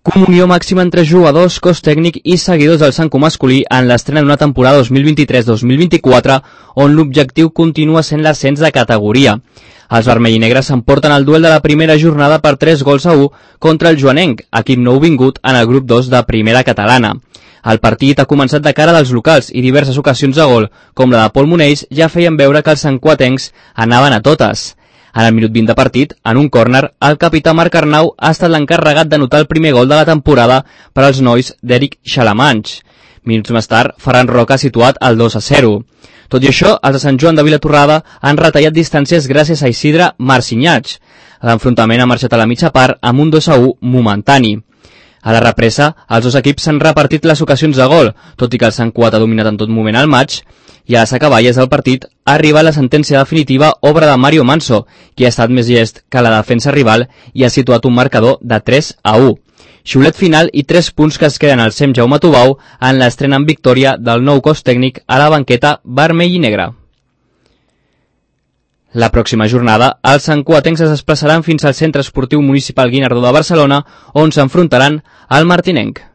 Comunió màxima entre jugadors, cos tècnic i seguidors del Sanco masculí en l'estrena d'una temporada 2023-2024 on l'objectiu continua sent l'ascens de categoria. Els vermell i negres s'emporten el duel de la primera jornada per 3-1 contra el Joanenc, equip nouvingut en el grup 2 de primera catalana. El partit ha començat de cara dels locals i diverses ocasions de gol, com la de Pol Monells, ja feien veure que els sancoatencs anaven a totes. En el minut 20 de partit, en un córner, el capità Marc Arnau ha estat l'encarregat d'anotar el primer gol de la temporada per als nois d'Eric Xalamanx. Minuts més tard, Ferran Roca ha situat el 2-0. Tot i això, els de Sant Joan de Vilatorrada han retallat distàncies gràcies a Isidre Marcinyats. L'enfrontament ha marxat a la mitja part amb un 2-1 momentani. A la represa, els dos equips s'han repartit les ocasions de gol, tot i que el Sant Cuat ha dominat en tot moment el maig, i a les acaballes del partit ha arribat la sentència definitiva, obra de Mario Manso, qui ha estat més llest que la defensa rival i ha situat un marcador de 3-1. Xiulet final i 3 punts que es queden al SEM Jaume Tubau en l'estrena en victòria del nou cos tècnic a la banqueta vermell i negra. La pròxima jornada, els sancoatencs es desplaçaran fins al Centre Esportiu Municipal Guinardó de Barcelona, on s'enfrontaran al martinenc.